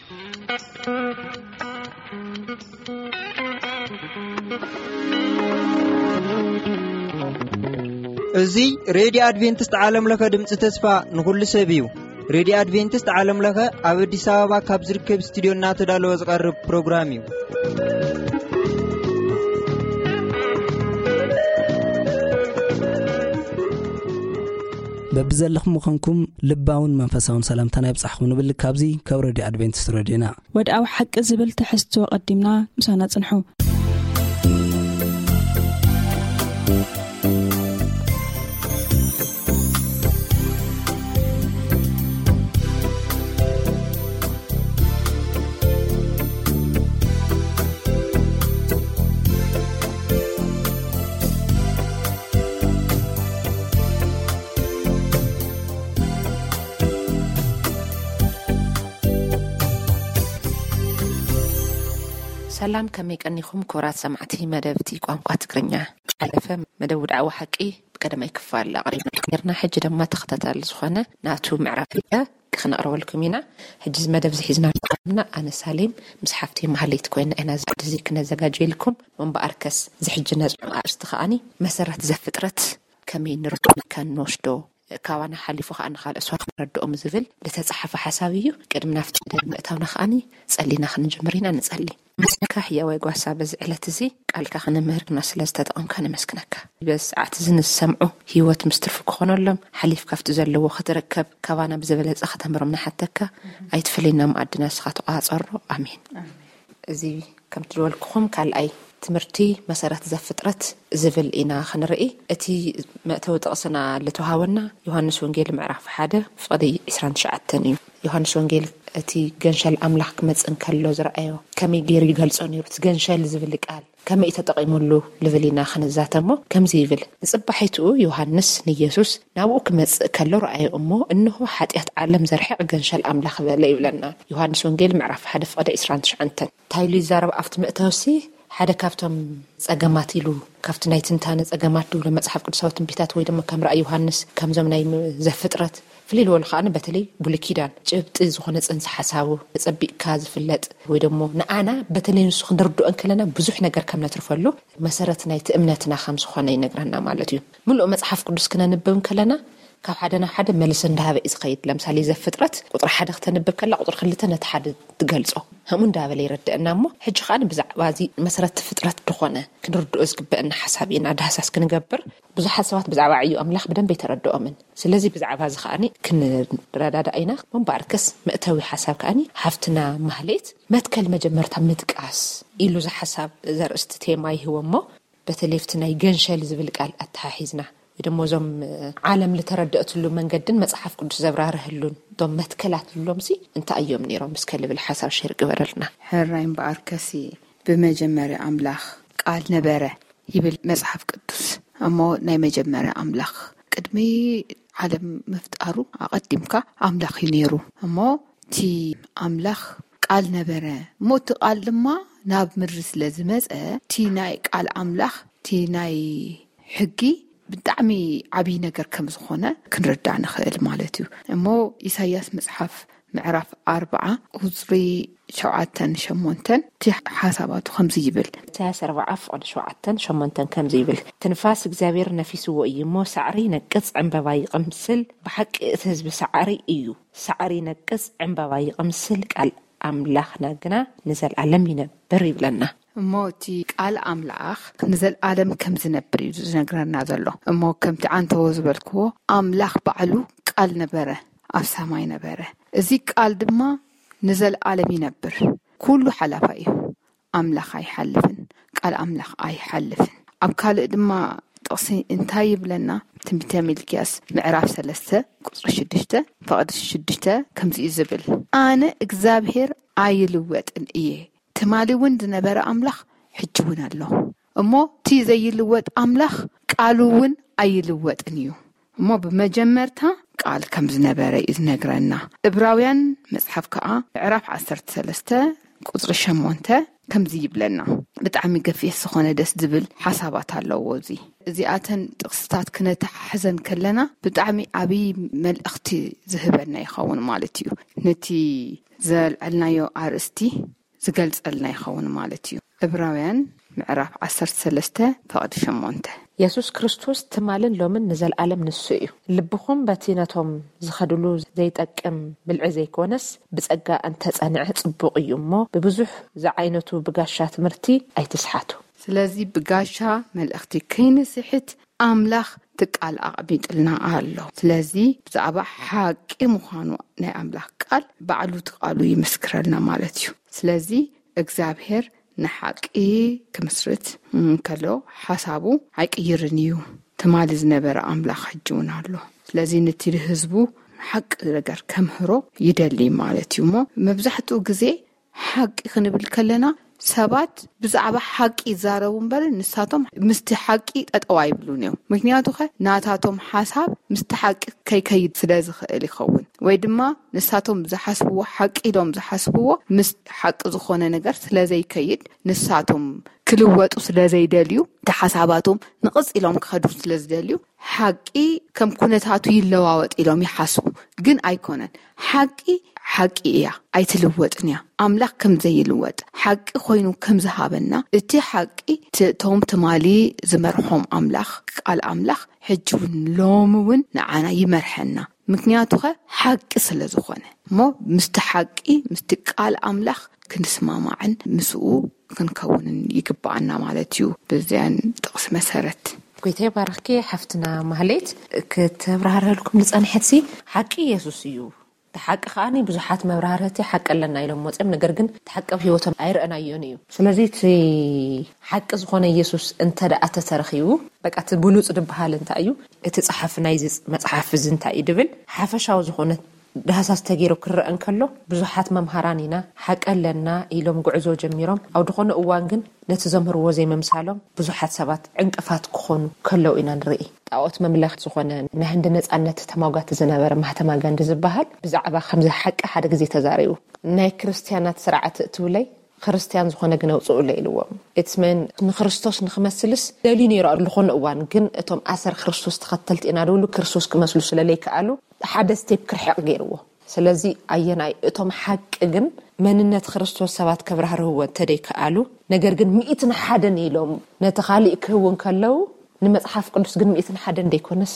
እዚ ሬድዮ ኣድቬንቲስት ዓለም ለኸ ድምፂ ተስፋ ንኹሉ ሰብ እዩ። ሬድዮ ኣድቬንቲስት ዓለም ለኸ ኣብ ኣዲስ ኣበባ ካብ ዝርከብ ስቱዲዮ እናተዳለወ ዝቐርብ ፕሮግራም እዩ። በብዘለኹም ምዃንኩም ልባውን መንፈሳውን ሰላምታና ይብጻሕኩም ንብል። ካብዚ ካብ ሬድዮ ኣድቬንቲስት ሬድዮና። ወድኣዊ ሓቂ ዝብል ትሕዝቶ ቀዲምና ምሳና ጽንሑ። ሰላም፣ ከመይ ቀኒኹም ክቡራት ሰማዕቲ መደብቲ ቋንቋ ትግርኛ? ሓለፈ መደብ ውድዓዊ ሓቂ ብቀደማይ ክፋል ኣቕሪብና ነርና። ሕጂ ድማ ተኸታታሊ ዝኾነ ናቱ ምዕራፍ ክልተ ክነቕርበልኩም ኢና። ሕጂ እዚ መደብ እዚ ሒዝና ቀርብና ኣነ ሳሌም ምስ ሓፍቲ ማህሌት ኮይና ኢና እዚ ክነዘጋጀልኩም። እምበኣርከስ እዚ ሕጂ ነጽንዖ ኣርእስቲ ከኣኒ መሰረት ዘፍጥረት ከመይ ንርድኦ ከንወስዶ፣ ካባና ሓሊፉ ከኣ ንኻልእ ሰባት ክንረድኦም ዝብል ዝተጻሓፈ ሓሳብ እዩ። ቅድሚ ናብቲ መደብ ምእታውና ከኣኒ ጸሊና ክንጅምር ኢና። ንጸሊ። መስለካ ህያዋይ ጓሳ፣ በዚ ዕለት እዚ ቃልካ ክነምህርና ስለ ዝተጠቐምካ ነመስግነካ። በዚ ሰዓት እዚ ንዝሰምዑ ህይወት ምስ ትርፊ ክኾነሎም፣ ሓሊፍ ካብቲ ዘለዎ ክትርከብ፣ ካባና ብዝበለጸ ከተምህሮም ንሓተካ። ኣይትፈለየና፣ መኣድና ንስኻ ተቋጸሮ። ኣሜን። እዚ ከምቲ ዝበልኩኹም ካልኣይ ትምህርቲ መሰረት ዘፍጥረት ዝብል ኢና ክንርኢ። እቲ መእተዊ ጥቕስና ልተዋሃበና ዮሃንስ ወንጌል ምዕራፍ ሓደ ፍቕዲ ዕስራን ትሽዓተን እዩ። ዮሃንስ ወንጌል እቲ ገንሸል ኣምላኽ ክመጽእ እንከሎ ዝረኣዮ ከመይ ገይሩ ይገልጾ ነይሩ? እቲ ገንሸል ዝብል ቃል ከመይ እዩ ተጠቒሙሉ ልብል ኢና ክንዛተሞ። ከምዚ ይብል፣ ንጽባሒትኡ ዮሃንስ ንየሱስ ናብኡ ክመጽእ ከሎ ረኣዮ እሞ፣ እንሆ ሓጢኣት ዓለም ዘርሕቕ ገንሸል ኣምላኽ በለ ይብለና። ዮሃንስ ወንጌል ምዕራፍ ሓደ ፍቕዲ ዕስራን ትሽዓተን። እንታይ ኢሉ ይዛረብ ኣብቲ መእተውሲ? ሓደ ካብቶም ጸገማት ኢሉ፣ ካብቲ ናይ ትንታነ ጸገማት ድብሎ መጽሓፍ ቅዱሳዊ ትንቢታት ወይ ድማ ከም ራእይ ዮሃንስ፣ ከምዞም ናይ ም-፣ ዘፍጥረት ፍልይ ዝበሉ ከኣ በተለይ ብሉይ ኪዳን ጭብጢ ዝኾነ ጽንሰ ሓሳቡ ተጸቢቕካ ዝፍለጥ ወይ ደሞ ንኣና በተለይ ንሱ ክንርድኦ እንከለና ብዙሕ ነገር ከም ነትርፈሉ መሰረት ናይቲ እምነትና ከም ዝኾነ ይነግረና ማለት እዩ። ምሉእ መጽሓፍ ቅዱስ ክነንብብ እንከለና ካብ ሓደ ናብ ሓደ መልሲ እንዳሃበ እዩ ዝኸይድ። ለምሳሌ ዘፍጥረት ቁጽሪ ሓደ ክተንብብ ከላ ቁጽሪ ክልተ ነቲ ሓደ ትገልጾ። ከምኡ እንዳበለ ይረድአና እሞ ሕጂ ከኣ ብዛዕባ እዚ መሰረት ፍጥረት ዝኾነ ክንርድኦ ዝግበአና ሓሳብ ኢና ዳህሳስ ክንገብር። ብዙሓት ሰባት ብዛዕባ ዕዮ ኣምላኽ ብደንብ ኣይተረድኦምን። ስለዚ ብዛዕባ እዚ ከኣኒ ክንረዳዳእ ኢና። እምበኣርከስ መእተዊ ሓሳብ ከኣኒ ሓፍትና ማህሌት መትከል መጀመርታ ምጥቃስ ኢሉ እዚ ሓሳብ ዘርእስቲ ቴማ ይህቦ እሞ በተለይ ኣብቲ ናይ ገንሸል ዝብል ቃል ኣተሓሒዝና ወይ ደሞ እዞም ዓለም ልተረድአትሉ መንገድን መጽሓፍ ቅዱስ ዘብራርህሉን እቶም መትከላት ንብሎምሲ እንታይ እዮም ነይሮም እስከ ልብል ሓሳብ ሸር ግበረልና። ሕራይ እምበኣርከሲ ብመጀመርያ ኣምላኽ ቃል ነበረ ይብል መጽሓፍ ቅዱስ። እሞ ናይ መጀመርያ ኣምላኽ ቅድሚ ዓለም ምፍጣሩ ኣቐዲምካ ኣምላኽ እዩ ነይሩ። እሞ እቲ ኣምላኽ ቃል ነበረ። እሞ እቲ ቃል ድማ ናብ ምድሪ ስለ ዝመጸ እቲ ናይ ቃል ኣምላኽ እቲ ናይ ሕጊ ብጣዕሚ ዓብዪ ነገር ከም ዝኾነ ክንርዳእ ንኽእል ማለት እዩ። እሞ ኢሳያስ መጽሓፍ ምዕራፍ ኣርብዓ ቁጽሪ ሸውዓተን ሸሞንተን እቲ ሓሳባቱ ከምዚ ይብል። ኢሳያስ ኣርብዓ ፍቕዲ ሸውዓተን ሸሞንተን ከምዚ ይብል፣ ትንፋስ እግዚኣብሔር ነፊስዎ እዩ እሞ ሳዕሪ ይነቅጽ ዕምበባ ይቕምስል። ብሓቂ እቲ ህዝቢ ሳዕሪ እዩ። ሳዕሪ ይነቅጽ ዕምበባ ይቕምስል ቃል ኣምላኽና ግና ንዘለኣለም ይነብር ይብለና። እሞ እቲ ቃል ኣምላኽ ንዘለኣለም ከም ዝነብር እዩ ዝነግረና ዘሎ። እሞ ከምቲ ዓንተዎ ዝበልክዎ ኣምላኽ ባዕሉ ቃል ነበረ፣ ኣብ ሰማይ ነበረ። እዚ ቃል ድማ ንዘለኣለም ይነብር። ኩሉ ሓላፋ እዩ። ኣምላኽ ኣይሓልፍን፣ ቃል ኣምላኽ ኣይሓልፍን። ኣብ ካልእ ድማ ጥቕሲ እንታይ ይብለና? ትንቢተ ሚልክያስ ምዕራፍ ሰለስተ ቁጽሪ ሽዱሽተ ፍቕዲ ሽዱሽተ ከምዚ እዩ ዝብል፣ ኣነ እግዚኣብሔር ኣይልወጥን እየ። ትማሊ እውን ዝነበረ ኣምላኽ ሕጂ እውን ኣሎ። እሞ እቲ ዘይልወጥ ኣምላኽ ቃሉ እውን ኣይልወጥን እዩ። እሞ ብመጀመርታ ቃል ከም ዝነበረ እዩ ዝነግረና። እብራውያን መጽሓፍ ከኣ ምዕራፍ ዓሰርተ ሰለስተ ቁጽሪ ሸሞንተ ከምዚ ይብለና። ብጣዕሚ ገፊሕ ዝኾነ ደስ ዝብል ሓሳባት ኣለዎ። እዚ እዚኣተን ጥቕስታት ክነተሓሕዘን ከለና ብጣዕሚ ዓብዪ መልእኽቲ ዝህበና ይኸውን ማለት እዩ። ነቲ ዘልዐልናዮ ኣርእስቲ ዝገልጸልና ይኸውን ማለት እዩ። ዕብራውያን ምዕራፍ ዓሰርተ ሰለስተ ፈቕዲ ሸሞንተ። የሱስ ክርስቶስ ትማልን ሎምን ንዘለኣለም ንሱ እዩ። ልብኹም በቲ ነቶም ዝኸድሉ ዘይጠቅም ብልዒ ዘይኮነስ ብጸጋ እንተጸንዐ ጽቡቕ እዩ እሞ ብብዙሕ ዝዓይነቱ ብጋሻ ትምህርቲ ኣይትስሓቱ። ስለዚ ብጋሻ መልእኽቲ ከይንስሕት ኣምላኽ ትቃል ኣቕሚጥልና ኣሎ። ስለዚ ብዛዕባ ሓቂ ምዃኑ ናይ ኣምላኽ ቃል ባዕሉ ትቃሉ ይምስክረልና ማለት እዩ። ስለዚ እግዚኣብሔር ንሓቂ ክምስርት እንከሎ ሓሳቡ ኣይቅይርን እዩ። ትማሊ ዝነበረ ኣምላኽ ሕጂ እውን ኣሎ። ስለዚ ነቲ ህዝቡ ሓቂ ነገር ከምህሮ ይደሊ ማለት እዩ። እሞ መብዛሕትኡ ግዜ ሓቂ ክንብል ከለና ሰባት ብዛዕባ ሓቂ ይዛረቡ እምበር ንሳቶም ምስቲ ሓቂ ጠጠው ኣይብሉን እዮም። ምክንያቱ ኸ ናታቶም ሓሳብ ምስቲ ሓቂ ከይከይድ ስለ ዝኽእል ይኸውን፣ ወይ ድማ ንሳቶም ዝሓስብዎ ሓቂ ኢሎም ዝሓስብዎ ምስ ሓቂ ዝኾነ ነገር ስለ ዘይከይድ ንሳቶም ክልወጡ ስለ ዘይደልዩ እቲ ሓሳባቶም ንቕጽ ኢሎም ክኸዱ ስለ ዝደልዩ ሓቂ ከም ኩነታቱ ይለዋወጥ ኢሎም ይሓስቡ። ግን ኣይኮነን። ሓቂ ሓቂ እያ፣ ኣይትልወጥን እያ። ኣምላኽ ከም ዘይልወጥ ሓቂ ኮይኑ ከም ዝሃበና እቲ ሓቂ ት- እቶም ትማሊ ዝመርሖም ኣምላኽ ቃል ኣምላኽ ሕጂ እውን ሎሚ እውን ንዓና ይመርሐና። ምክንያቱ ኸ ሓቂ ስለ ዝኾነ እሞ ምስቲ ሓቂ ምስቲ ቃል ኣምላኽ ክንስማማዕን ምስኡ ክንከውንን ይግባኣና ማለት እዩ። ብዚያን ጥቕሲ መሰረት ጎይታ ይባርኽኪ ሓፍትና ማህሌት። ክተብራህረልኩም ዝጸንሐትሲ ሓቂ የሱስ እዩ። እቲ ሓቂ ከዓኒ ብዙሓት መብራህርቲ ሓቂ ኣለና ኢሎም መፅኦም፣ ነገር ግን እቲ ሓቂ ኣብ ህይወቶም ኣይረኣናዮን እዩ። ስለዚ እቲ ሓቂ ዝኾነ ኢየሱስ እንተ ደኣ ተተረኺቡ፣ በቃ እቲ ብሉፅ ዝበሃል እንታይ እዩ? እቲ ፀሓፊ ናይዚ መፅሓፍ እዚ እንታይ እዩ ድብል ሓፈሻዊ ዝኾነ ዳህሳስ ተገይሩ ክረአ እንከሎ፣ ብዙሓት መምሃራን ኢና፣ ሓቂ ኣለና ኢሎም ጉዕዞ ጀሚሮም፣ ኣብ ዝኾነ እዋን ግን ነቲ ዘምህርዎ ዘይምምሳሎም ብዙሓት ሰባት ዕንቅፋት ክኾኑ ከለዉ ኢና ንርኢ። ጣዖት መምለኽ ዝኾነ ናይ ህንዲ ነጻነት ተማጓቲ ዝነበረ ማህተማ ጋንዲ ዝበሃል ብዛዕባ ከምዚ ሓቂ ሓደ ግዜ ተዛሪቡ። ናይ ክርስትያናት ስርዓት እትብለይ ክርስትያን ዝኾነ ግን ኣውፅኡለይ ኢልዎም። It's mean ንክርስቶስ ንክመስልስ ደልዩ ነይሩ ኣብ ዝኾነ እዋን፣ ግን እቶም ኣሰር ክርስቶስ ተኸተልቲ ኢና ዝብሉ ክርስቶስ ክመስሉ ስለለይከኣሉ ሓደ ስቴፕ ክርሕቕ ገይርዎ። ስለዚ ኣየናይ እቶም ሓቂ ግን መንነት ክርስቶስ ሰባት ከብራህርህዎ እንተደይከኣሉ፣ ነገር ግን ሚእትን ሓደን ኢሎም ነቲ ካሊእ ክህቡ እንከለዉ፣ ንመጽሓፍ ቅዱስ ግን ሚእትን ሓደን ደይኮነስ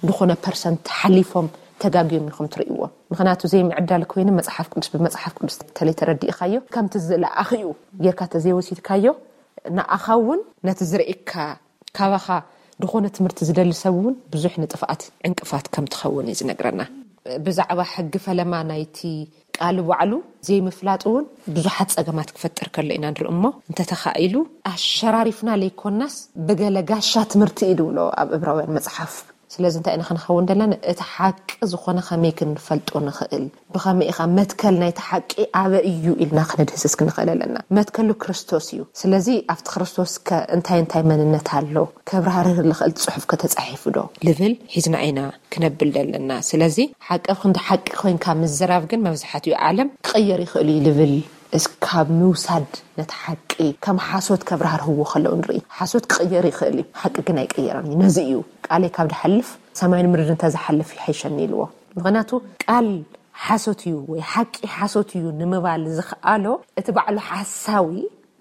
ዝኾነ ፐርሰንት ሓሊፎም ተጋግዮም ኢኹም ትርእይዎም። ምኽንያቱ ዘይምዕዳል ኮይኑ መጽሓፍ ቅዱስ ብመጽሓፍ ቅዱስ ተለይተረዲእኻዮ ከምቲ ዝለኣኽዩ ጌርካ ተዘይወሲድካዮ፣ ንኣኻ እውን ነቲ ዝርእየካ ካባኻ ዝኾነ ትምህርቲ ዝደሊ ሰብ እውን ብዙሕ ንጥፍኣት ዕንቅፋት ከም ትኸውን እዩ ዝነግረና። ብዛዕባ ሕጊ ፈለማ ናይቲ ቃል ባዕሉ ዘይምፍላጥ እውን ብዙሓት ጸገማት ክፈጥር ከሎ ኢና ንርኢ እሞ፣ እንተተኻኢሉ ኣሸራሪፍና ለይኮናስ ብገለ ጋሻ ትምህርቲ እዩ ድብሎ ኣብ እብራውያን መጽሓፍ። ስለዚ እንታይ ኢና ክንኸውን ዘለና? እቲ ሓቂ ዝኾነ ከመይ ክንፈልጦ ንኽእል? ብኸመይ ኢኻ መትከል ናይቲ ሓቂ ኣበ እዩ ኢልና ክነድህስስ ክንኽእል ኣለና። መትከሉ ክርስቶስ እዩ። ስለዚ ኣብቲ ክርስቶስ ከ እንታይ እንታይ መንነት ኣሎ? ከብራህርህ ዝኽእል ጽሑፍ ከተጻሒፉ ዶ? ልብል ሒዝና ኢና ክነብል ዘለና። ስለዚ ሓቂ ኣብ ክንዲ ሓቂ ኮይንካ ምዝራብ ግን መብዛሕትኡ ዓለም ክቕየር ይኽእል እዩ ልብል እስካብ ምውሳድ ነቲ ሓቂ ከም ሓሶት ከብራህርህዎ ከለዉ ንርኢ። ሓሶት ክቕየር ይኽእል እዩ፣ ሓቂ ግን ኣይቅየርን እዩ። ነዚ እዩ ቃለይ ካብ ድሓልፍ ሰማይን ምድሪ እንተዝሓልፍ ይሓይሸኒ ኢልዎ። ምኽንያቱ ቃል ሓሶት እዩ ወይ ሓቂ ሓሶት እዩ ንምባል ዝኽኣሎ እቲ ባዕሉ ሓሳዊ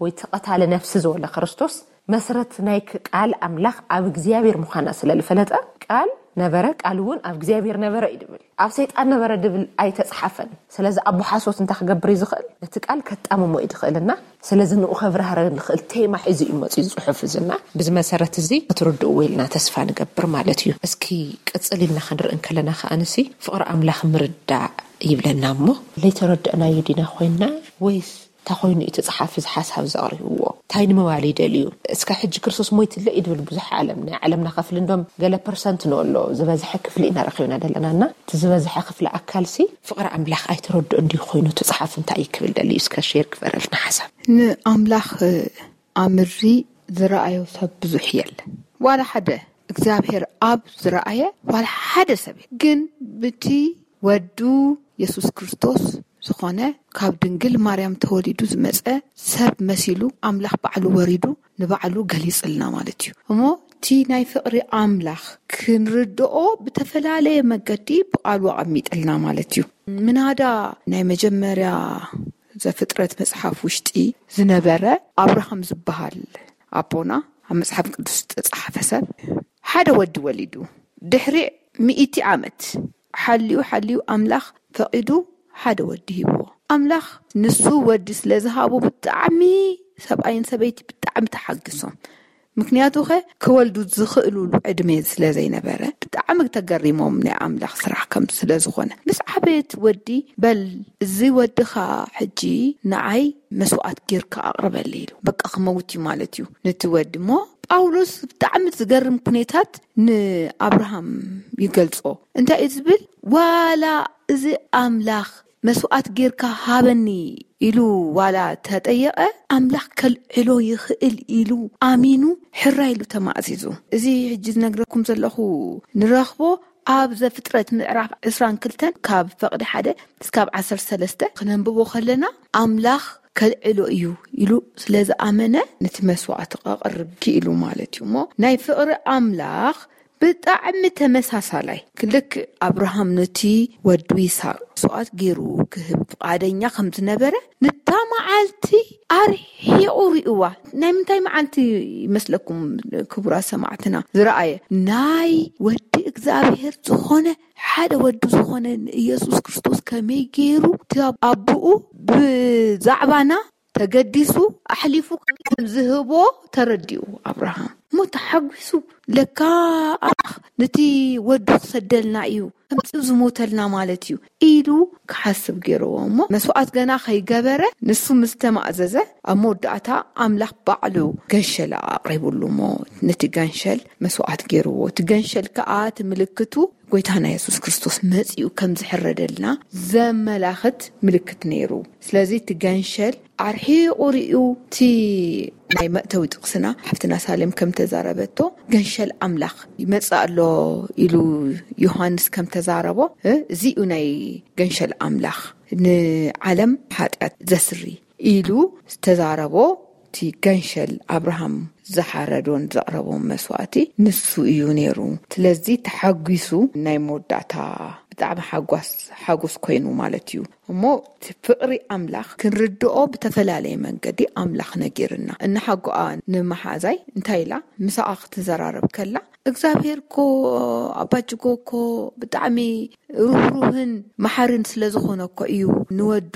ወይ ተቐታሊ ነፍሲ ዝበለ ክርስቶስ መስረት ናይ ቃል ኣምላኽ ኣብ እግዚኣብሔር ምዃና ስለ ዝፈለጠ፣ ቃል ነበረ፣ ቃል እውን ኣብ እግዚኣብሔር ነበረ እዩ ድብል። ኣብ ሰይጣን ነበረ ድብል ኣይተጽሓፈን። ስለዚ ኣቦ ሓሶት እንታይ ክገብር እዩ ዝኽእል? ነቲ ቃል ከጣምሞ እዩ ዝኽእልና። ስለዚ ንኡ ከብራህረ ዝኽእል ቴማ ሒዙ እዩ መፅኡ ጽሑፍ እዝና። ብዚ መሰረት እዚ ክትርድእዎ ኢልና ተስፋ ንገብር ማለት እዩ። እስኪ ቅጽል ኢልና ክንርኢ እንከለና ከኣ ንሲ ፍቕሪ ኣምላኽ ምርዳእ ይብለና እሞ፣ ለይተረድእናዮ ዲና ኮይንና ወይስ እንታይ ኮይኑ እቲ ጸሓፊ እዚ ሓሳብ ዘቕሪብዎ? እንታይ ንምባል ይደልዩ? እስካ ሕጂ ክርስቶስ ሞይትለ እዩ ድብል ብዙሕ ዓለም፣ ናይ ዓለምና ክፍሊ እንዶም ገለ ፐርሰንት ንወሎ ዝበዝሐ ክፍሊ ኢና ረኺብና ደለናና። እቲ ዝበዝሐ ክፍሊ ኣካልሲ ፍቕሪ ኣምላኽ ኣይተረድኦ እንዲዩ ኮይኑ እቲ ጸሓፊ እንታይ እዩ ክብል ደልዩ? እስካ ሼር ግበረልና ሓሳብ። ንኣምላኽ ኣምሪ ዝረኣዮ ሰብ ብዙሕ የለ። ዋላ ሓደ እግዚኣብሔር ኣብ ዝረኣየ ዋላ ሓደ ሰብ የለ። ግን ብቲ ወዱ የሱስ ክርስቶስ ዝኾነ ካብ ድንግል ማርያም ተወሊዱ ዝመጸ ሰብ መሲሉ ኣምላኽ ባዕሉ ወሪዱ ንባዕሉ ገሊጽልና ማለት እዩ። እሞ እቲ ናይ ፍቕሪ ኣምላኽ ክንርድኦ ብተፈላለየ መገዲ ብቓሉ ኣቐሚጥልና ማለት እዩ። ምናዳ ናይ መጀመርያ ዘፍጥረት መጽሓፍ ውሽጢ ዝነበረ ኣብርሃም ዝበሃል ኣቦና ኣብ መጽሓፍ ቅዱስ ዝተጻሓፈ ሰብ ሓደ ወዲ ወሊዱ ድሕሪ ሚእቲ ዓመት ሓልዩ ሓልዩ ኣምላኽ ፈቒዱ ሓደ ወዲ ሂብዎ። ኣምላኽ ንሱ ወዲ ስለ ዝሃቦ ብጣዕሚ ሰብኣይን ሰበይቲ ብጣዕሚ ተሓግሶም። ምክንያቱ ኸ ክወልዱ ዝኽእሉሉ ዕድመ ስለ ዘይነበረ ብጣዕሚ ተገሪሞም ናይ ኣምላኽ ስራሕ ከም ስለ ዝኾነ ምስ ዓበየት ወዲ በል እዚ ወድኻ ሕጂ ንዓይ መስዋዕት ጌርካ ኣቕርበለይ ኢሉ በቃ ክመውት እዩ ማለት እዩ ነቲ ወዲ እሞ ጳውሎስ ብጣዕሚ ዝገርም ኩነታት ንኣብርሃም ይገልጾ እንታይ እዩ ዝብል ዋላ እዚ ኣምላኽ መስዋዕት ጌርካ ሃበኒ ኢሉ ዋላ ተጠየቐ ኣምላኽ ከልዕሎ ይኽእል ኢሉ ኣሚኑ ሕራ ኢሉ ተማእዚዙ እዚ ሕጂ ዝነግረኩም ዘለኹ ንረኽቦ ኣብ ዘፍጥረት ምዕራፍ ዕስራን ክልተን ካብ ፈቕዲ ሓደ እስካብ ዓሰርተ ሰለስተ ክነንብቦ ከለና ኣምላኽ ከልዕሎ እዩ ኢሉ ስለ ዝኣመነ ነቲ መስዋዕቲ ከቕርብ ክኢሉ ማለት እዩ እሞ ናይ ፍቕሪ ኣምላኽ ብጣዕሚ ተመሳሳላይ ክልክ ኣብርሃም ነቲ ወዱ ይስሐቅ መስዋዕት ገይሩ ክህብ ፍቓደኛ ከም ዝነበረ ንታ መዓልቲ ኣርሒቑ ሪእዋ ናይ ምንታይ መዓልቲ ይመስለኩም ክቡራት ሰማዕትና ዝረኣየ ናይ ወዲ እግዚኣብሔር ዝኾነ ሓደ ወዱ ዝኾነ ንኢየሱስ ክርስቶስ ከመይ ገይሩ እቲ ኣቦኡ ብዛዕባና ተገዲሱ ኣሕሊፉ ከም ዝህቦ ተረዲኡ ኣብርሃም እሞ ተሓጒሱ ለካ ኣምላኽ ነቲ ወዱ ክሰደልና እዩ ከምፂኡ ዝሞተልና ማለት እዩ ኢሉ ክሓስብ ገይርዎ እሞ መስዋዕት ገና ከይገበረ ንሱ ምስ ተማእዘዘ ኣብ መወዳእታ ኣምላኽ ባዕሉ ገንሸል ኣቕሪቡሉ እሞ ነቲ ገንሸል መስዋዕት ገይርዎ እቲ ገንሸል ከዓ እቲ ምልክቱ ጎይታና የሱስ ክርስቶስ መፂኡ ከም ዝሕረደልና ዘመላኽት ምልክት ነይሩ ስለዚ እቲ ገንሸል ኣርሒቑ ሪኡ እቲ ናይ መእተዊ ጥቕስና ሓፍትና ሳሌም ከም ተዛረበቶ ገንሸል ኣምላኽ ይመጽእ ኣሎ ኢሉ ዮሃንስ ከም ተዛረቦ እዚ እዩ ናይ ገንሸል ኣምላኽ ንዓለም ሓጢኣት ዘስሪ ኢሉ ዝተዛረቦ እቲ ገንሸል ኣብርሃም ዝሓረዶን ዘቕረቦን መስዋእቲ ንሱ እዩ ነይሩ። ስለዚ ተሓጒሱ ናይ መወዳእታ ብጣዕሚ ሓጓስ ሓጎስ ኮይኑ ማለት እዩ። እሞ እቲ ፍቕሪ ኣምላኽ ክንርድኦ ብተፈላለየ መንገዲ ኣምላኽ ነጊርና። እናሓጎኣ ንመሓዛይ እንታይ ኢላ ምሳኣ ክትዘራረብ ከላ እግዚኣብሔር እኮ ኣባጅጎ እኮ ብጣዕሚ ርህሩህን መሓርን ስለ ዝኾነ እኮ እዩ ንወዱ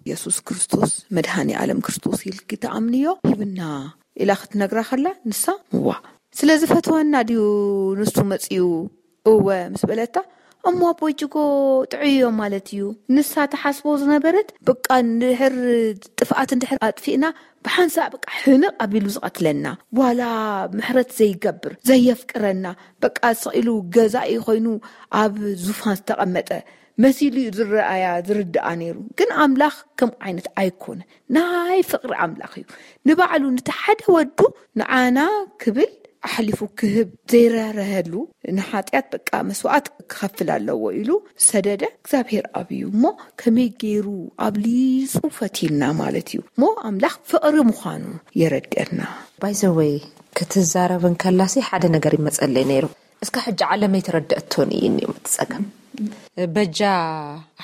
የሱስ ክርስቶስ መድሃኒ ኣለም ክርስቶስ ኢልኪ ተኣምንዮ ሂብና ኢላ ክትነግራ ከላ ንሳ እዋ ስለ ዝፈትወና ድዩ ንሱ መፅዩ እወ ምስ በለታ እሞ ኣቦይ ጅጎ ጥዑይ እዮም ማለት እዩ ንሳ ተሓስቦ ዝነበረት በቃ እንድሕር ጥፍኣት እንድሕር ኣጥፊእና ብሓንሳእ በቃ ሕንቕ ኣቢሉ ዝቐትለና ዋላ ምሕረት ዘይገብር ዘየፍቅረና በቃ ስቕ ኢሉ ገዛኢ ኮይኑ ኣብ ዙፋን ዝተቐመጠ መሲሉ እዩ ዝረኣያ ዝርድኣ ነይሩ ግን ኣምላኽ ከም ዓይነት ኣይኮነ ናይ ፍቕሪ ኣምላኽ እዩ ንባዕሉ ነቲ ሓደ ወዱ ንዓና ክብል ኣሕሊፉ ክህብ ዘይራህረሀሉ ንሓጢኣት በቃ መስዋዕት ክኸፍል ኣለዎ ኢሉ ሰደደ እግዚኣብሔር ኣብዩ እሞ ከመይ ገይሩ ኣብሊፁ ፈትዩና ማለት እዩ እሞ ኣምላኽ ፍቕሪ ምዃኑ የረድአና ባይዘወይ ክትዛረብ እንከላሲ ሓደ ነገር ይመፀለይ ነይሩ እስካ ሕጂ ዓለም ኣይተረደአቶን እዩ እኒኦም እቲ ፀገም በጃ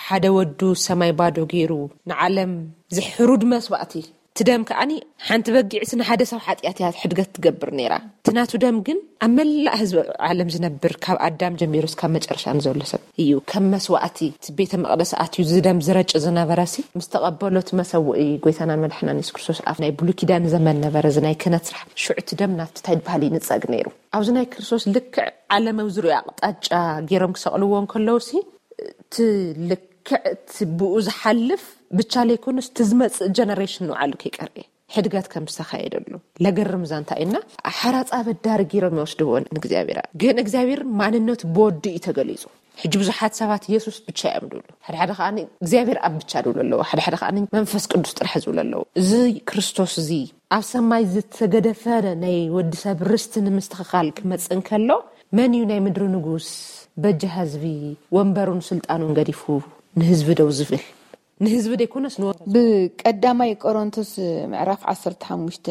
ሓደ ወዱ ሰማይ ባዶ ገይሩ ንዓለም ዝሕሩድ መስዋእቲ እቲ ደም ከዓኒ ሓንቲ በጊዕሲ ንሓደ ሰብ ሓጢኣት እያ ሕድገት ትገብር ነይራ እቲ ናቱ ደም ግን ኣብ መላእ ህዝቢ ዓለም ዝነብር ካብ ኣዳም ጀሚሩ እስካብ መጨረሻ ንዘሎ ሰብ እዩ ከም መስዋእቲ እቲ ቤተ መቅደስ ኣትዩ ዝደም ዝረጭ ዝነበረሲ ምስ ተቐበሎ እቲ መሰውኢ ጎይታናን መድሓናን የሱስ ክርስቶስ ኣብ ናይ ብሉይ ኪዳን ዘመን ነበረ እዚ ናይ ክህነት ስራሕ ሽዑ እቲ ደም ናቱ እንታይ ዝበሃል ይንፀግ ነይሩ ኣብዚ ናይ ክርስቶስ ልክዕ ዓለማዊ ዝሪኦ ኣቕጣጫ ገይሮም ክሰቕልዎ እንከለውሲ እቲ ልክዕ እቲ ብኡ ዝሓልፍ ብቻ ለይኮኑስ እቲ ዝመፅእ ጀነሬሽን ንባዕሉ ከይቀርየ ሕድገት ከም ዝተኻየደሉ ለገርም እዛ እንታይ እና ሓራፃ በዳሪ ገይሮም ይወስድዎ ንእግዚኣብሔር ግን እግዚኣብሔር ማንነቱ ብወዲ እዩ ተገሊፁ ሕጂ ብዙሓት ሰባት የሱስ ብቻ እዮም ድብሉ ሓደ ሓደ ከዓ እግዚኣብሔር ኣብ ብቻ ድብሉ ኣለዎ ሓደ ሓደ ከዓ መንፈስ ቅዱስ ጥራሕ ዝብሉ ኣለዎ እዚ ክርስቶስ እዚ ኣብ ሰማይ ዝተገደፈ ናይ ወዲ ሰብ ርስቲ ንምስትኽኻል ክመጽእ እንከሎ መን እዩ ናይ ምድሪ ንጉስ በጃ ህዝቢ ወንበሩን ስልጣኑን ገዲፉ ንህዝቢ ደው ዝብል? ንህዝቢ ደይኮነስ ንወ ብቀዳማይ ቆሮንቶስ ምዕራፍ ዓሰርተ ሓሙሽተ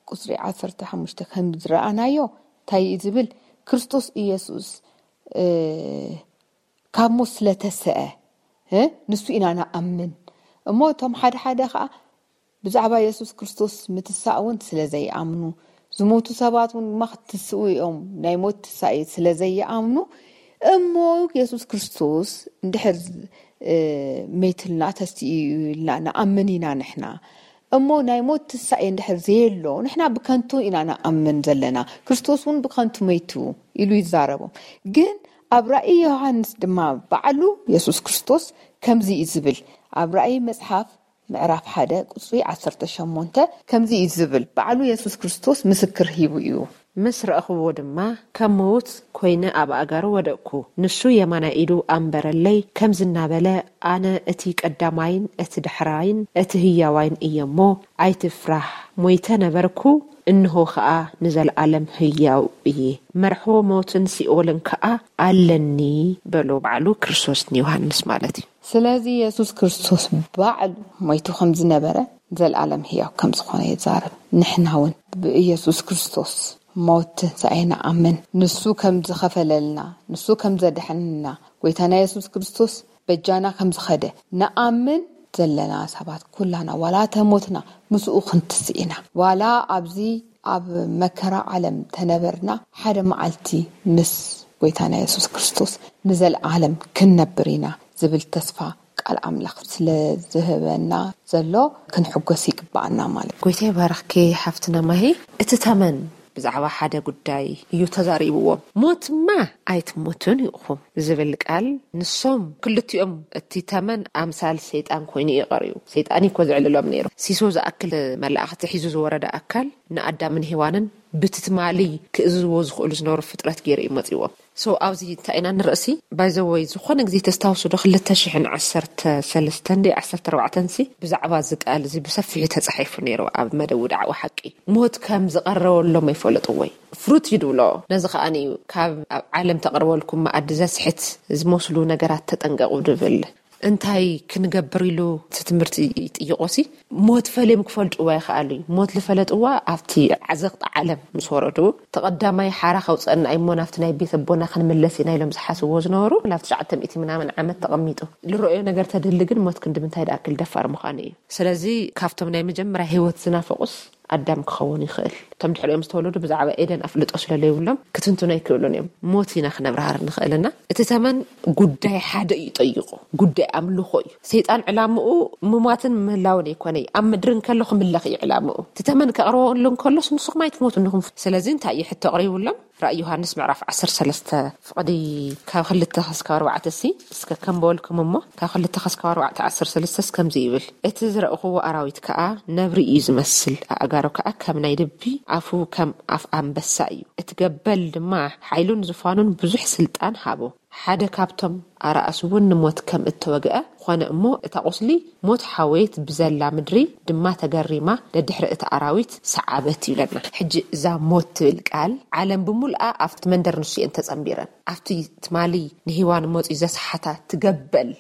ቁፅሪ ዓሰርተ ሓሙሽተ ከም ዝረኣናዮ እንታይ እዩ ዝብል? ክርስቶስ ኢየሱስ ካብ ሞት ስለተሰአ ንሱ ኢና ንኣምን። እሞ እቶም ሓደ ሓደ ከዓ ብዛዕባ የሱስ ክርስቶስ ምትሳእ እውን ስለ ዘይኣምኑ፣ ዝሞቱ ሰባት እውን ድማ ክትስኡ እዮም ናይ ሞት ትሳኤ ስለ ዘይኣምኑ፣ እሞ የሱስ ክርስቶስ እንድሕር መይትልና ተስኡ ኢልና ንኣምን ኢና ንሕና። እሞ ናይ ሞት ትሳኤ እንድሕር ዘየሎ ንሕና ብከንቱ ኢና ንኣምን ዘለና። ክርስቶስ እውን ብከንቱ መይቱ ኢሉ ይዛረቦም። ግን ኣብ ራእይ ዮሃንስ ድማ ባዕሉ የሱስ ክርስቶስ ከምዚ እዩ ዝብል። ኣብ ራእይ መጽሓፍ ምዕራፍ ሓደ ቁፅሪ ዓሰርተ ሸሞንተ ከምዚ እዩ ዝብል። ባዕሉ የሱስ ክርስቶስ ምስክር ሂቡ እዩ። ምስ ረእኽዎ ድማ ከም ምዉት ኮይነ ኣብ ኣእጋሩ ወደቅኩ። ንሱ የማናይ ኢዱ ኣንበረለይ፣ ከምዚ እናበለ፣ ኣነ እቲ ቀዳማይን እቲ ዳሕራይን እቲ ህያዋይን እየ እሞ፣ ኣይትፍራህ። ሞይተ ነበርኩ፣ እንሆ ኸኣ ንዘለኣለም ህያው እየ። መርሖ ሞትን ሲኦልን ከኣ ኣለኒ በሎ፣ ባዕሉ ክርስቶስ ንዮሃንስ ማለት እዩ። ስለዚ የሱስ ክርስቶስ ባዕሉ ሞይቱ ከም ዝነበረ፣ ዘልኣለም ህያው ከም ዝኾነ ይዛረብ። ንሕና እውን ብኢየሱስ ክርስቶስ ሞት ትንሳኤ ንኣምን። ንሱ ከም ዝኸፈለልና፣ ንሱ ከም ዘድሐንና፣ ጎይታና የሱስ ክርስቶስ በጃና ከም ዝኸደ ንኣምን ዘለና ሰባት ኩላና ዋላ ተሞትና ምስኡ ክንትስእ ኢና። ዋላ ኣብዚ ኣብ መከራ ዓለም ተነበርና፣ ሓደ መዓልቲ ምስ ጎይታና የሱስ ክርስቶስ ንዘልኣለም ክንነብር ኢና ዝብል ተስፋ ቃል ኣምላኽ ስለ ዝህበና ዘሎ ክንሕጎስ ይግባኣና ማለት እዩ። ጎይታ ይባርኽኪ ሓፍትና ማሂ። እቲ ተመን ብዛዕባ ሓደ ጉዳይ እዩ ተዛሪብዎም። ሞትማ ኣይትሞቱን ኢኹም ዝብል ቃል፣ ንሶም ክልቲኦም፣ እቲ ተመን ኣምሳል ሰይጣን ኮይኑ እዩ ቀሪቡ። ሰይጣን እዩ እኮ ዝዕልሎም ነይሩ። ሲሶ ዝኣክል መላእኽቲ ሒዙ ዝወረደ ኣካል ንኣዳምን ሄዋንን ብቲ ትማሊ ክእዝዝዎ ዝኽእሉ ዝነበሩ ፍጥረት ገይሩ እዩ መፂዎም። So ኣብዚ እንታይ ኢና ንርእሲ? ባይዘወይ ዝኾነ ግዜ ተስታውሱ ዶ ክልተ ሽሕን ዓሰርተ ሰለስተን ዶ ዓሰርተ ኣርባዕተን ሲ ብዛዕባ እዚ ቃል እዚ ብሰፊሑ ተጻሒፉ ነይሩ ኣብ መደቡ ዳዕዋ ሓቂ። ሞት ከም ዝቐረበሎም ኣይፈለጥዎይ። ፍሩት እዩ ድብሎ። ነዚ ከኣኒ እዩ ካብ ኣብ ዓለም ተቕርበልኩም መኣዲ ዘስሕት ዝመስሉ ነገራት ተጠንቀቑ ድብል። እንታይ ክንገብር ኢሉ እቲ ትምህርቲ ይጥይቆሲ? ሞት ፈልዮም ክፈልጥዋ ይኽኣሉ እዩ። ሞት ዝፈለጥዋ ኣብቲ ዓዘቕቲ ዓለም ምስ ወረዱ፣ ተቐዳማይ ሓራ ከውፅአና እሞ ናብቲ ናይ ቤት ኣቦና ክንምለስ ኢና ኢሎም ዝሓስብዎ ዝነበሩ ናብ ትሽዓተ ሚእቲ ምናምን ዓመት ተቐሚጡ። ዝረኣዮ ነገር ተድሊ ግን ሞት ክንዲ ምንታይ ድኣክል ደፋር ምዃኑ እዩ። ስለዚ ካብቶም ናይ መጀመርያ ህይወት ዝናፈቑስ ኣዳም ክኸውን ይኽእል። እቶም ድሕሪኦም ዝተወለዱ ብዛዕባ ኤደን ኣፍልጦ ስለ ዘይብሎም ክትንትኑ ኣይክእሉን እዮም። ሞት ኢና ክነብርሃር ንኽእል እና እቲ ተመን ጉዳይ ሓደ እዩ ጠይቑ፣ ጉዳይ ኣምልኾ እዩ። ሰይጣን ዕላምኡ ምሟትን ምህላውን ኣይኮነይ፣ ኣብ ምድሪ እንከሎ ክምለኽ እዩ ዕላምኡ። እቲ ተመን ከቕርበሉ እንከሎስ ንስኹም ኣይትሞቱ እንኹም። ስለዚ እንታይ እዩ ሕቶ ኣቕሪቡሎም? ራእይ ዮሃንስ ምዕራፍ ዓሰርተ ሰለስተ ፍቕዲ ካብ ክልተ ክስካብ ኣርባዕተ ሲ እስከ ከም በወልኩም እሞ ካብ ክልተ ክስካብ ኣርባዕተ ዓሰርተ ሰለስተ ከምዚ ይብል፣ እቲ ዝረእኽዎ ኣራዊት ከኣ ነብሪ እዩ ዝመስል፣ ኣእጋሩ ከኣ ከም ናይ ድቢ፣ ኣፉ ከም ኣፍ ኣንበሳ እዩ። እቲ ገበል ድማ ሓይሉን ዝፋኑን ብዙሕ ስልጣን ሃቦ። ሓደ ካብቶም ኣራእስ እውን ንሞት ከም እተወግአ ኾነ እሞ እታ ቁስሊ ሞት ሓወየት ብዘላ ምድሪ ድማ ተገሪማ ደድሕሪ እቲ ኣራዊት ሰዓበት ይብለና። ሕጂ እዛ ሞት ትብል ቃል ዓለም ብምሉኣ ኣብቲ መንደር ንሱ እየን ተጸንቢረን። ኣብቲ ትማሊ ንሂዋን መጺኡ ዘስሓታ ትገበል፣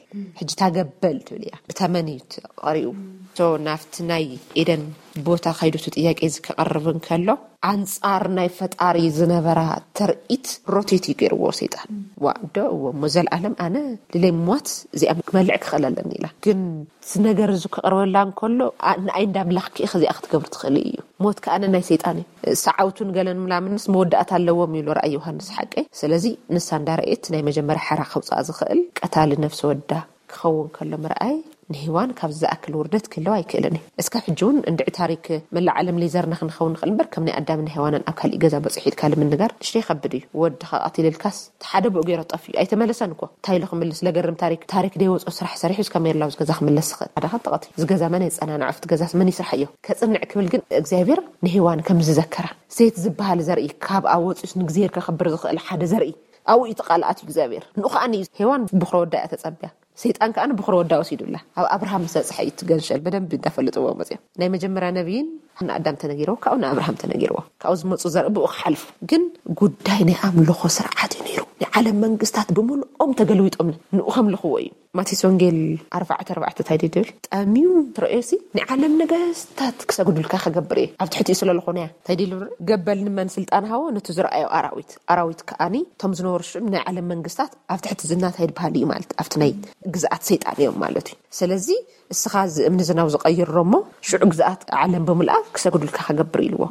ሕጂ ታገበል ትብል እያ። ብተመን እዩ ተቐሪኡ። So ናብቲ ናይ ኤደን ቦታ ከይዱ እቲ ጥያቄ እዚ ክቐርብ እንከሎ ኣንጻር ናይ ፈጣሪ ዝነበራ ተርኢት ሮቴት እዩ ገይርዎ ሰይጣን። ዋ ዶ እዎ እሞ ዘልኣለም ኣነ ልለይ ሞት እዚኣ ክመልዕ ክኽእል ኣለኒ ኢላ። ግን እዚ ነገር እዚ ክቐርበላ እንከሎ ኣ- ንኣይ እንዳ ኣምላኽ ከ ከዚኣ ክትገብር ትኽእል እዩ። ሞት ከኣ ናይ ሰይጣን እዩ። ሰዓውቱን ገለን ምላምንስ መወዳእታ ኣለዎም ይብሎ ራእይ ዮሃንስ ሓቀይ። ስለዚ ንሳ እንዳረኤት ናይ መጀመርያ ሓራ ከውፅኣ ዝኽእል ቀታሊ ነፍሲ ወዳ ክኸውን ከሎ ምርኣይ ንሂዋን ካብ ዝኣክል ውርደት ክህልዋ ኣይክእልን እዩ። እስካብ ሕጂ እውን እንድዒ ታሪክ መላእ ዓለም ሌዘርና ክንኸውን ንኽእል እምበር ከም ናይ ኣዳምን ሄዋንን ኣብ ካሊእ ገዛ በፂሑ ኢልካ ልምንጋር ንሽተይ ይኸብድ እዩ። ወድኻ ቀቲልልካስ እቲ ሓደ ብኡ ገይሮ ጠፊኡ ኣይተመለሰን እኮ። እንታይ ኢሉ ክምልስ? ለገርም ታሪክ፣ ታሪክ ደይወፆ ስራሕ ሰሪሑ እስካብ ሜርላው ዝገዛ ክምለስ ዝኽእል ሓደ ካብ ተቐቲሉ ዝገዛ መን የፀናንዖ? ኣብቲ ገዛስ መን ይስርሓዮ? ከፅንዕ ክብል ግን እግዚኣብሔር ንሄዋን ከም ዝዘከራ ሴት ዝበሃል ዘርኢ ካብ ኣብ ወፂኡስ ንእግዚሔር ከኽብር ዝኽእል ሓደ ዘርኢ ኣብኡ እዩ ተቃልኣት እዩ እግዚኣብሔር። ንኡ ከዓኒ እዩ ሄዋን ብኽሮ ወዳ እያ ተፀብያ። ሰይጣን ከኣ ንብኽሮ ወዳ ወሲዱላ። ኣብ ኣብርሃም ምስ በጽሐ እዩ እቲ ገንሸል በደንብ እንዳፈለጥዎ መጽዮም። ናይ መጀመርያ ነቢይን ንኣዳም ተነጊርዎ፣ ካብኡ ንኣብርሃም ተነጊርዎ። ካብኡ ዝመፁ ዘርኢ ብኡ ክሓልፉ። ግን ጉዳይ ናይ ኣምልኾ ስርዓት እዩ ነይሩ። ናይ ዓለም መንግስታት ብምልኦም ተገልቢጦም ንኡ ከምልኽዎ እዩ። ማቴዎስ ወንጌል ኣርባዕተ ኣርባዕተ እንታይ ድብል? ጠምዩ ትረእዮሲ፣ ናይ ዓለም ነገስታት ክሰግዱልካ ከገብር እየ፣ ኣብ ትሕቲኡ ስለ ዝኾነ እያ። እንታይ ድብል? ገበል ንመን ስልጣን ሃቦ? ነቲ ዝረኣዮ ኣራዊት። ኣራዊት ከኣኒ እቶም ዝነበሩ ሽዑ ናይ ዓለም መንግስታት ኣብ ትሕቲ ዝናታይ ድበሃል እዩ ማለት ኣብቲ ናይ ግዝኣት ሰይጣን እዮም ማለት እዩ። ስለዚ እስኻ እዚ እምኒ ዝናብ ዝቐይሮ እሞ ሽዑ ግዝኣት ዓለም ብምልኣ ክሰግዱልካ ከገብር ኢልዎ።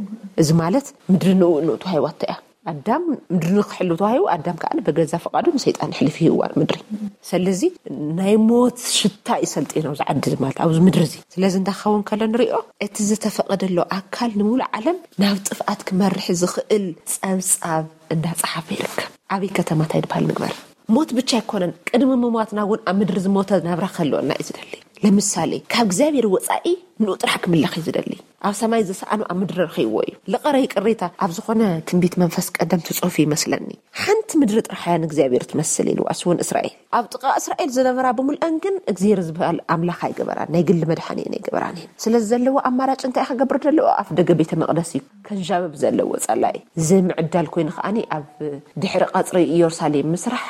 እዚ ማለት ምድሪ ንኡ ንኡ ተዋሂባቶ እያ። ኣዳም ምድሪ ንክሕሉ ተዋሂቡ፣ ኣዳም ከዓ በገዛ ፈቃዱ ንሰይጣን ሕሊፍ ይህዋ ምድሪ። ስለዚ ናይ ሞት ሽታ ይሰልጥ ነው ዝዓዲ ማለት ኣብዚ ምድሪ እዚ። ስለዚ እንዳኸውን ከሎ ንሪኦ እቲ ዝተፈቀደሎ ኣካል ንሙሉ ዓለም ናብ ጥፍኣት ክመርሕ ዝኽእል ጸብጻብ እንዳጸሓፈ ይርከብ። ዓብይ ከተማታይ ድበሃል ንግበር። ሞት ብቻ ኣይኮነን፣ ቅድሚ ምሟትና እውን ኣብ ምድሪ ዝሞተ ናብራ ክህልወና እዩ ዝደሊ። ለምሳሌ ካብ እግዚኣብሔር ወፃኢ ንኡ ጥራሕ ክምለኽ እዩ ዝደሊ። ኣብ ሰማይ ዝሰኣኑ ኣብ ምድሪ ረኺብዎ እዩ። ልቐረ ይቅሬታ ኣብ ዝኾነ ትንቢት መንፈስ ቀደምቲ ጽሑፍ ይመስለኒ፣ ሓንቲ ምድሪ ጥራሕ እያ ንእግዚኣብሔር ትመስል ኢሉ ኣስውን እስራኤል። ኣብ ጥቓ እስራኤል ዝነበራ ብምልአን ግን እግዚኣብሔር ዝበሃል ኣምላኽ ኣይገበራን፣ ናይ ግሊ መድሓኒ እየን ኣይገበራን እየን። ስለዚ ዘለዎ ኣማራጭ እንታይ ክገብር ዘለዎ? ኣፍ ደገ ቤተ መቕደስ እዩ ከንዣብብ ዘለዎ ጸላኢ። እዚ ምዕዳል ኮይኑ ከዓኒ ኣብ ድሕሪ ቀጽሪ ኢየሩሳሌም ምስራሕ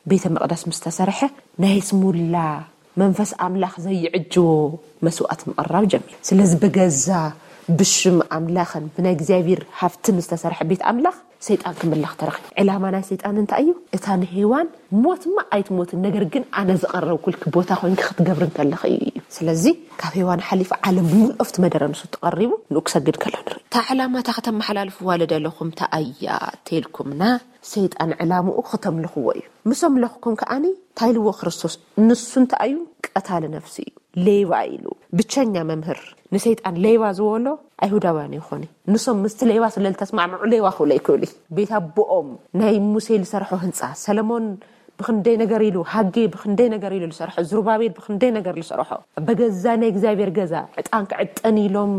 ቤተ መቕደስ ምስ ተሰርሐ ናይ ስሙላ መንፈስ ኣምላኽ ዘይዕጅቦ መስዋእት ምቕራብ ጀሚሩ። ስለዚ ብገዛ ብሽም ኣምላኽን ብናይ እግዚኣብሔር ሃፍትን ዝተሰርሐ ቤት ኣምላኽ ሰይጣን ክምለኽ ተረኺቡ። ዕላማ ናይ ሰይጣን እንታይ እዩ? እታ ንሄዋን ሞትማ ኣይትሞትን፣ ነገር ግን ኣነ ዝቐረብኩልኪ ቦታ ኮይንኪ ክትገብሪ እንከለኺ እዩ። ስለዚ ካብ ሄዋን ሓሊፉ ዓለም ብምልኦ ኣብቲ መደረ ንሱ ተቐሪቡ ንኡ ክሰግድ ከሎ ንርኢ። እታ ዕላማ እታ ከተመሓላልፍዋ ልደለኹም እታ ኣያ ተልኩምና ሰይጣን ዕላምኡ ክተምልኽዎ እዩ። ምስ ኣምለኽኩም ከኣኒ እንታይ ኢልዎ ክርስቶስ? ንሱ እንታይ እዩ? ቀታሊ ነፍሲ እዩ፣ ሌባ ኢሉ። ብቸኛ መምህር ንሰይጣን ሌባ ዝበሎ ኣይሁዳውያን ይኾኑ። ንሶም ምስቲ ሌባ ስለ ዝተስማዕምዑ ሌባ ክብሎ ይክእሉ እዩ። ቤት ኣቦኦም ናይ ሙሴ ዝሰርሖ ህንፃ፣ ሰለሞን ብክንደይ ነገር ኢሉ፣ ሃጌ ብክንደይ ነገር ኢሉ ዝሰርሖ፣ ዝሩባቤል ብክንደይ ነገር ዝሰርሖ፣ በገዛ ናይ እግዚኣብሔር ገዛ ዕጣን ክዕጠን ኢሎም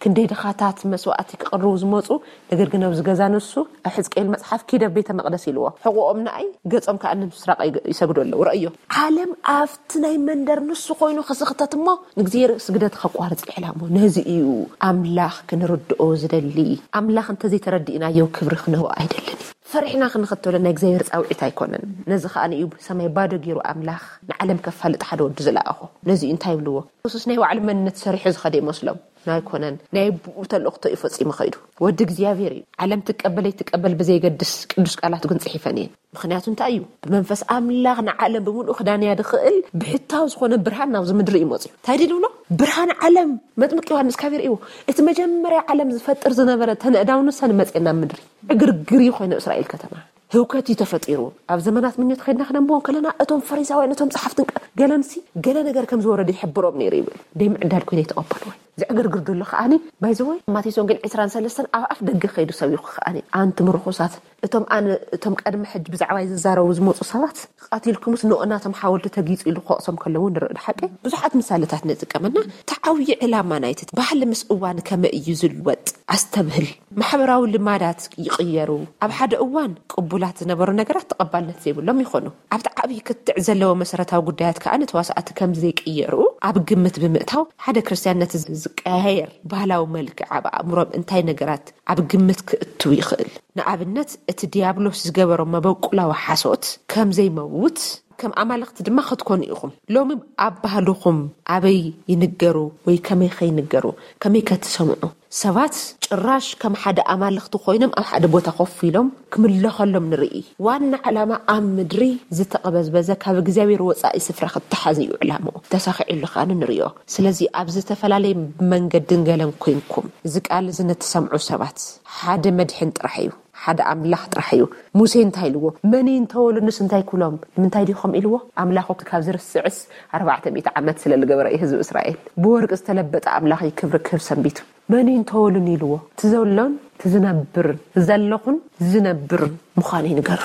ክንደይ ድኻታት መስዋእቲ ክቕርቡ ዝመፁ፣ ነገር ግን ኣብዚ ገዛ ንሱ ኣብ ሕዝቅኤል መፅሓፍ ኪደ ቤተ መቕደስ ኢልዎ። ሕቑኦም ንኣይ፣ ገፆም ከዓ ንምስራቕ ይሰግዱ ኣለዉ። ረእዮ፣ ዓለም ኣብቲ ናይ መንደር ንሱ ኮይኑ ክስኽተት እሞ ንእግዚኣብሔር ስግደት ከቋርፅ ይዕላሞ። ነዚ እዩ ኣምላኽ ክንርድኦ ዝደሊ። ኣምላኽ እንተዘይተረዲእናዮ ክብሪ ክንህቦ ኣይደልን እዩ። ፈሪሕና ክንኽተሎ ናይ እግዚኣብሔር ጻውዒት ኣይኮነን። ነዚ ከኣ እዩ ሰማይ ባዶ ገይሩ ኣምላኽ ንዓለም ከፋልጥ ሓደ ወዲ ዝለኣኾ። ነዚ እንታይ ይብልዎ? የሱስ ናይ ባዕሉ መንነት ሰሪሑ ዝኸደ ይመስሎም። ኣይኮነን። ናይ ብኡ ተልእኽቶ እዩ ፈጺሙ ኸይዱ። ወዲ እግዚኣብሔር እዩ። ዓለም ትቀበል ኣይትቀበል ብዘይገድስ ቅዱስ ቃላቱ ግን ጽሒፈን እየን። ምኽንያቱ እንታይ እዩ? ብመንፈስ ኣምላኽ ንዓለም ብምሉኡ ክዳንያ ድኽእል ብሕታዊ ዝኾነ ብርሃን ናብዚ ምድሪ እዩ መጽዩ። እንታይ ድል ብሎ? ብርሃን ዓለም መጥምቅ ዮሃንስ ካብ ይርእዎ። እቲ መጀመርያ ዓለም ዝፈጥር ዝነበረ ተነእዳው ንሰን መጽኤ ናብ ምድሪ። ዕግርግር እዩ ኮይኑ እስራኤል ከተማ። ህውከት እዩ ተፈጢሩ። ኣብ ዘመናት ምኞት ከይድና ክነንብቦ ከለና እቶም ፈሪሳውያን፣ እቶም ጸሓፍትን ቀ-፣ ገለንሲ ገለ ነገር ከም ዝወረደ ይሕብሮም ነይሩ ይብል። ደይ ምዕዳል ኮይነ ይተቐበልዎ። ዝዕግርግር ዘሎ ከኣኒ፣ ባይዘወይ፣ ማቴዎስ ወንጌል ዕስራን ሰለስተን ኣብ ኣፍ ደገ ከይዱ ሰቢኹ ከኣኒ፣ ኣንቱም ርኹሳት፣ እቶም ኣነ፣ እቶም ቀድሚ ሕጂ ብዛዕባይ ዝዛረቡ ዝመጹ ሰባት፣ ቀቲልኩምስ ንኡ ናቶም ሓወልቲ ተጊጹ ኢሉ ክወቕሶም ከለዉ ንርኢ። ሓቂ ብዙሓት ምሳሌታት ንጥቀመና። እቲ ዓብዪ ዕላማ ናይቲ ባህሊ ምስ እዋን ከመይ እዩ ዝልወጥ ኣስተብህል። ማሕበራዊ ልማዳት ይቕየሩ። ኣብ ሓደ እዋን ቅቡላት ዝነበሩ ነገራት ተቐባልነት ዘይብሎም ይኾኑ። ኣብቲ ዓብዪ ክትዕ ዘለዎ መሰረታዊ ጉዳያት ከኣ ንተዋሳእቲ ከም ዘይቅየሩ ኣብ ግምት ብምእታው፣ ሓደ ክርስትያን ነቲ ዝቀያየር ባህላዊ መልክዕ ኣብ ኣእምሮም እንታይ ነገራት ኣብ ግምት ክእትው ይኽእል? ንኣብነት፣ እቲ ዲያብሎስ ዝገበሮ መበቁላዊ ሓሶት ከም ዘይመውት፣ ከም ኣማልኽቲ ድማ ክትኮኑ ኢኹም። ሎሚ ኣብ ባህልኹም ኣበይ ይንገሩ ወይ ከመይ ከይንገሩ፣ ከመይ ከትሰምዑ? ሰባት ጭራሽ ከም ሓደ ኣማልኽቲ ኮይኖም ኣብ ሓደ ቦታ ኮፍ ኢሎም ክምለኸሎም ንርኢ። ዋና ዕላማ ኣብ ምድሪ ዝተቐበዝበዘ ካብ እግዚኣብሔር ወጻኢ ስፍራ ክተሓዝ እዩ ዕላምኡ። ተሳኺዑሉ ከኣ ንርእዮ። ስለዚ ኣብ ዝተፈላለየ መንገድን ገለን ኮይንኩም እዚ ቃል እዚ ንትሰምዑ ሰባት ሓደ መድሕን ጥራሕ እዩ፣ ሓደ ኣምላኽ ጥራሕ እዩ። ሙሴ እንታይ ኢልዎ? መን እንተወሉንስ እንታይ ኩሎም? ንምንታይ ዲኹም ኢልዎ? ኣምላኹ ካብ ዝርስዕስ ኣርባዕተ ሚእቲ ዓመት ስለ ዝገበረ እዩ ህዝቢ እስራኤል። ብወርቂ ዝተለበጠ ኣምላኽ እዩ ክብሪ ክህብ ሰንቢቱ። መን እዩ እንተወሉን ኢልዎ? እቲ ዘሎን እቲ ዝነብር፣ ዘለኹን ዝነብር ምዃኑ ይንገሮ።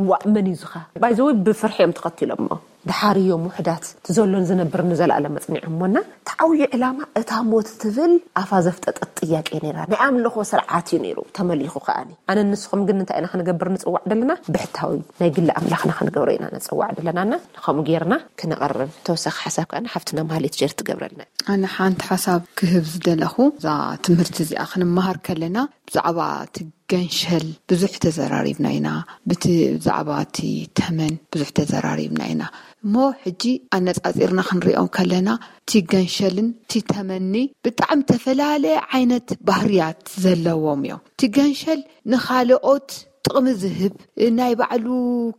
ዋእ፣ መን እዩ ዝኻ? ባይዘወይ ብፍርሒ እዮም ተኸቲሎሞ። ድሓርዮም ውሕዳት እቲ ዘሎን ዝነብር ንዘለኣለም መጽኒዖሞና። እቲ ዓብዪ ዕላማ እታ ሞት ትብል ኣፋ ዘፍጠጠት ጥያቄ ነይራ። ናይ ኣምልኾ ስርዓት እዩ ነይሩ ተመሊኹ። ከኣኒ ኣነ ንስኹም ግን እንታይ ኢና ክንገብር ንጽዋዕ ደለና? ብሕታዊ ናይ ግሊ ኣምላኽና ክንገብሮ ኢና ንጽዋዕ ደለናና። ንኸምኡ ጌርና ክነቐርብ ተወሳኺ ሓሳብ ከኣ ሓፍትና ማህሌት ጀር ትገብረልና። ኣነ ሓንቲ ሓሳብ ክህብ ዝደለኹ፣ እዛ ትምህርቲ እዚኣ ክንመሃር ከለና ብዛዕባ እቲ ገንሸል ብዙሕ ተዘራሪብና ኢና። ብቲ ብዛዕባ እቲ ተመን ብዙሕ ተዘራሪብና ኢና። እሞ ሕጂ ኣነጻጺርና ክንሪኦም ከለና እቲ ገንሸልን እቲ ተመኒ ብጣዕሚ ተፈላለየ ዓይነት ባህርያት ዘለዎም እዮም። እቲ ገንሸል ንኻልኦት ጥቕሚ ዝህብ፣ ናይ ባዕሉ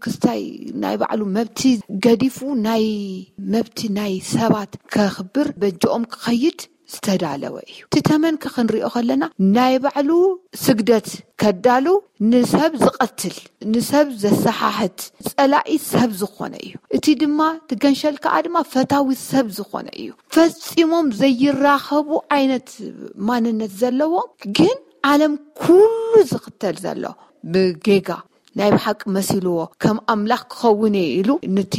ክስታይ፣ ናይ ባዕሉ መብቲ ገዲፉ ናይ መብቲ ናይ ሰባት ከኽብር በጅኦም ክኸይድ ዝተዳለወ እዩ። እቲ ተመን ከ ክንሪኦ ከለና ናይ ባዕሉ ስግደት ከዳሉ ንሰብ ዝቐትል፣ ንሰብ ዘሰሓሕት፣ ጸላኢ ሰብ ዝኾነ እዩ። እቲ ድማ እቲ ገንሸል ከኣ ድማ ፈታዊ ሰብ ዝኾነ እዩ። ፈጺሞም ዘይራኸቡ ዓይነት ማንነት ዘለዎም ግን ዓለም ኩሉ ዝኽተል ዘሎ ብጌጋ ናይ ብሓቂ መሲልዎ ከም ኣምላኽ ክኸውን እየ ኢሉ ንቲ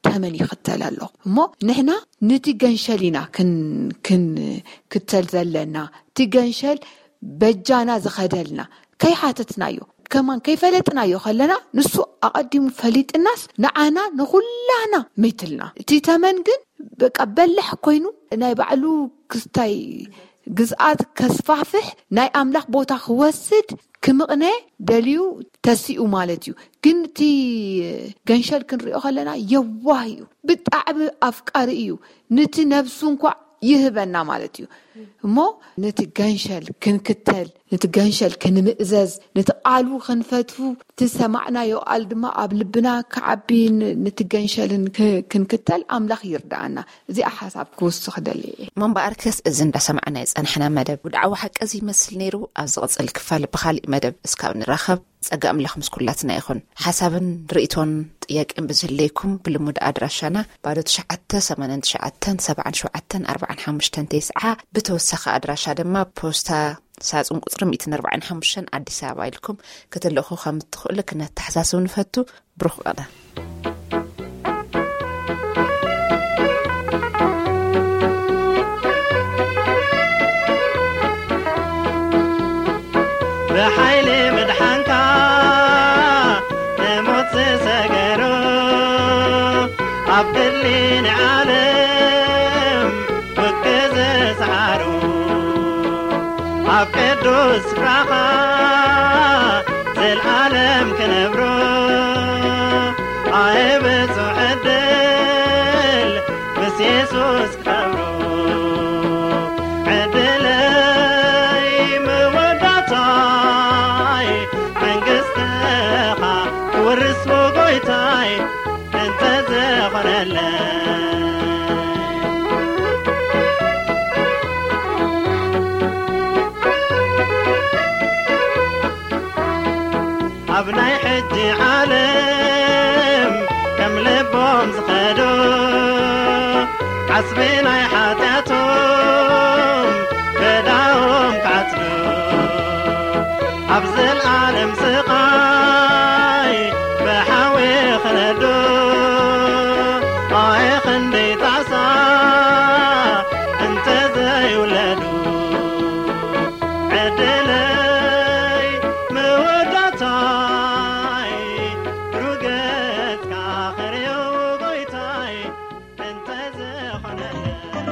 ተመን ይኽተል ኣሎ። እሞ ንሕና ንቲ ገንሸል ኢና ክን- ክንክተል ዘለና። እቲ ገንሸል በጃና ዝኸደልና ከይሓተትናዮ ከማን ከይፈለጥናዮ ከለና ንሱ ኣቐዲሙ ፈሊጥናስ ንዓና ንኹላና መይትልና። እቲ ተመን ግን በቃ በላሕ ኮይኑ ናይ ባዕሉ ክስታይ ግዝኣት ከስፋፍሕ ናይ ኣምላኽ ቦታ ክወስድ ክምቕነ ደልዩ ተሲኡ ማለት እዩ። ግን እቲ ገንሸል ክንሪኦ ከለና የዋህ እዩ፣ ብጣዕሚ ኣፍቃሪ እዩ። ንቲ ነብሱ እንኳ ይህበና ማለት እዩ። እሞ ነቲ ገንሸል ክንክተል፣ ነቲ ገንሸል ክንምእዘዝ፣ ነቲ ቃሉ ክንፈትፉ፣ እቲ ሰማዕናዮ ቃል ድማ ኣብ ልብና ክዓቢ ን- ነቲ ገንሸልን ክ- ክንክተል ኣምላኽ ይርዳኣና። እዚኣ ሓሳብ ክውስኽ ደሊ እየ። እሞ እምበኣርከስ እዚ እንዳሰማዕናዮ ዝጸናሕና መደብ ውድዓዊ ሓቂ እዚ ይመስል ነይሩ። ኣብ ዝቕጽል ክፋል ብኻሊእ መደብ እስካብ ንራኸብ ጸጋ ኣምላኽ ምስ ኩላትና ይኹን። ሓሳብን ርእይቶን ጥያቄን ብዝህለይኩም ብልሙድ ኣድራሻና ባዶ ትሽዓተ ሰማንያን ትሽዓተን ሰብዓን ሸውዓተን ኣርባዓን ሓሙሽተን ተስዓ ብተወሳኺ ኣድራሻ ድማ ፖስታ ሳጹን ቁጽሪ ሚእትን ኣርባዓን ሓሙሽተን ኣዲስ ኣበባ ኢልኩም ክትልእኹ ከም እትኽእሉ ክነተሓሳስብ ንፈቱ። ብሩኽ ቀዳም። ብሓይሊ ምድሓንካ ንሞት ዝሰገሩ ኣብ ድሊ ንዓለም ውግእ ዝሰዓሩ ኣብ ቅዱስ ስፍራኻ ዘልዓለም ክነብሩ ኣየ ብጹዕ ዕድል ምስ የሱስ ክኸብሩ ዕድለይ መወዳእታይ መንግስትኻ ክወርስ ጎይታይ እንተ ዝኾነለይ ኣብ ናይ ሕጂ ዓለም ከም ልቦም ዝኸዱ ዓስቢ ናይ ሓጢኣቶም በዳዎም ክዓጽዱ ኣብ ዘልዓለም ስቓይ ብሓዊ ክነዱ ኣየ ክንደይ ጣሳ እንተ ዘይውለዱ ዕድለይ መወዳእታይ ርገጽካ ክርእዮ ጎይታይ እንተ ዝኾነለይ